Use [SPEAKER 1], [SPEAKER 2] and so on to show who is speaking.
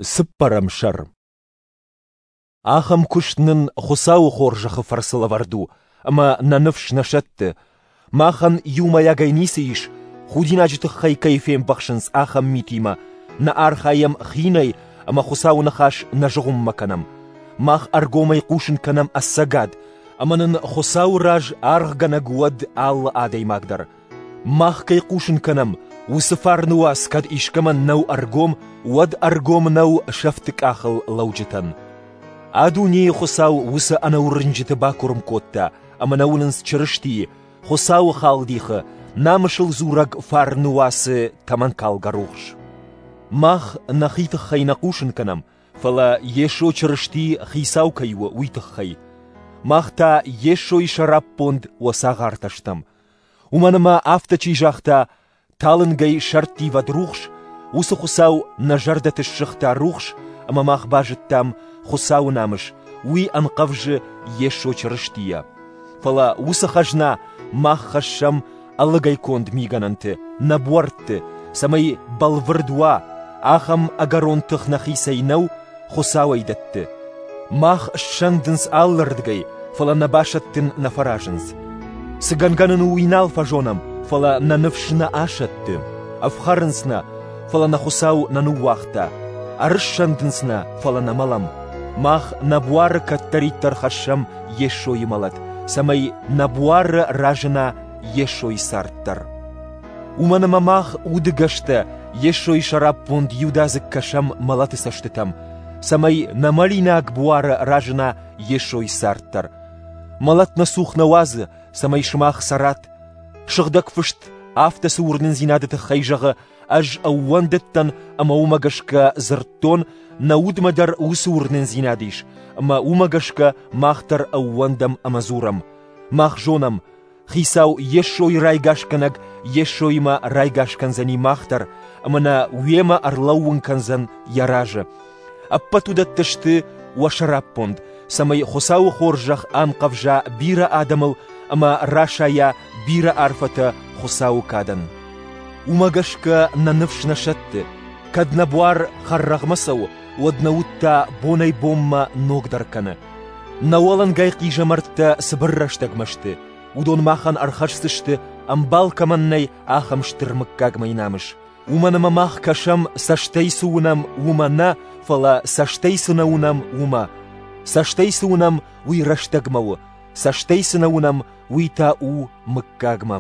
[SPEAKER 1] Цыппӕрӕм сӕр. Ахӕм куыст нын Хуыцауы хорзӕхы фӕрцы лӕвӕрд у, ӕмӕ нӕ ныфс нӕ сӕтты. Махӕн иумӕйагӕй ницы ис, худинаджы тыххӕй кӕй фембӕхсынц, ахӕм митимӕ. Нӕ архайӕм хинӕй ӕмӕ Хуыцауы ныхас нӕ зыгъуыммӕ кӕнӕм. Мах ӕргомӕй хъусын кӕнӕм ӕцӕгад, ӕмӕ нын Хуыцауы раз аргъгӕнӕг уӕд алы адӕймаг дӕр. Мах кӕй хъусын кӕнӕм, уыцы фарны уац кӕд искӕмӕн нӕу ӕргом, уӕд ӕргом нӕу сӕфты къахыл лӕуджытӕн. А дунейы Хуыцау уыцы ӕнӕуырнджыты бакуырм кодта, ӕмӕ нӕ уынынц Чырыстийы, Хуыцауы халдихы, намысыл дзурӕг фарны уацы тӕмӕнкалгӕ рухс. Мах нӕхи тыххӕй нӕ хъусын кӕнӕм, фӕлӕ Йесо Чырысти Хицау кӕй у, уый тыххӕй. Мах та Йесойы сӕраппонд уӕ цагъартӕ стӕм. Уымӕн ӕмӕ афтӕ чи загъта, талынгӕй сӕрттивӕд рухс, уыцы Хуыцау нӕ зӕрдӕты ссыгъта рухс, ӕмӕ мах базыдтам Хуыцауы намыс, уый ӕнхъӕвзы Йесо Чырыстийӕ. Фӕлӕ уыцы хӕзна мах хӕссӕм ӕлыгӕй конд мигӕнӕнты, нӕ буӕртты, цӕмӕй бӕлвырд уа, ахӕм ӕгӕрон тых нӕхицӕй нӕу, Хуыцауӕй дӕтты. Мах ссӕндынц алырдыгӕй, фӕлӕ нӕ басӕттын нӕ фӕразынц. Цы гӕнгӕ нын у, уый нал фӕзонӕм, фӕлӕ нӕ ныфс нӕ асӕтты. Ӕфхӕрынц нӕ, фӕлӕ нӕ Хуыцау нӕ ныууагъта. Ӕрыссӕндынц нӕ, фӕлӕ нӕ мӕлӕм. Мах нӕ буары кӕддӕриддӕр хӕссӕм Йесойы мӕлӕт, цӕмӕй нӕ буары разына Йесойы цард дӕр. Уымӕн ӕмӕ мах, удыгӕстӕ, Йесойы сӕраппонд иудадзыг кӕсӕм мӕлӕты цӕстытӕм, цӕмӕй нӕ мӕлинаг буары разына Йесойы цард дӕр. Мӕлӕт нӕ цух нӕ уадзы, цӕмӕй сымах цӕрат. Сыгъдӕг Фыст афтӕ цы уырнындзинады тыххӕй зӕгъы, ӕз ӕууӕндыдтӕн ӕмӕ уымӕ гӕсгӕ дзырдтон, нӕ удмӕ дӕр уыцы уырнындзинад ис, ӕмӕ уымӕ гӕсгӕ мах дӕр ӕууӕндӕм ӕмӕ дзурӕм. Мах зонӕм, Хицау Йесойы райгасгӕнӕг Йесоимӕ райгас кӕндзӕни мах дӕр ӕмӕ нӕ уемӕ ӕрлӕууын кӕндзӕн йӕ разы. Ӕппӕт уыдӕттӕ сты уӕ сӕраппонд, цӕмӕй Хуыцауы хорзӕх анхъӕвза бирӕ адӕмыл ӕмӕ расайа бирӕ арфӕтӕ Хуыцауы кадӕн. Уымӕ гӕсгӕ нӕ ныфс нӕ сӕтты. Кӕд нӕ буар хӕррӕгъмӕ цӕуы, уӕд нӕ уд та бонӕй-бонмӕ ногдӕр кӕны. Нӕ уӕлӕнгай хъизӕмӕрттӕ цыбыр рӕстӕгмӕ сты, уыдон махӕн ӕрхӕсдзысты, ӕмбал кӕмӕн нӕй, ахӕм стыр мыггагмӕйы намыс. Уымӕн ӕмӕ мах кӕсӕм, цӕстӕй цы уынӕм, уымӕ нӕ, фӕлӕ цӕстӕй цы нӕ уынӕм, уымӕ. Цӕстӕй цы уынӕм, уый рӕстӕгмӕ у, цӕстӕй цы нӕ уынӕм, уый та у мыггагмӕ.